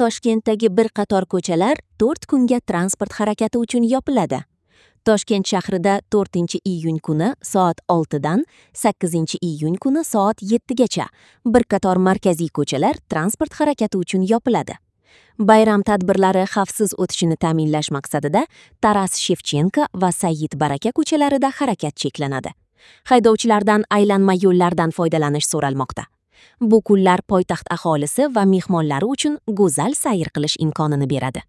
Toshkentdagi bir qator ko'chalar 4 kunga transport harakati uchun yopiladi. Toshkent shahrida 4-iyun kuni soat 6 dan 8-iyun kuni soat 7 gacha bir qator markaziy ko'chalar transport harakati uchun yopiladi. Bayram tadbirlari xavfsiz o'tishini ta'minlash maqsadida Taras Shevchenko va Said Baraka ko'chalarida harakat cheklanadi. Haydovchilardan aylanma yo'llardan foydalanish so'ralmoqda. Bu kunlar poytaxt aholisi va mehmonlari uchun go'zal sayr qilish imkonini beradi.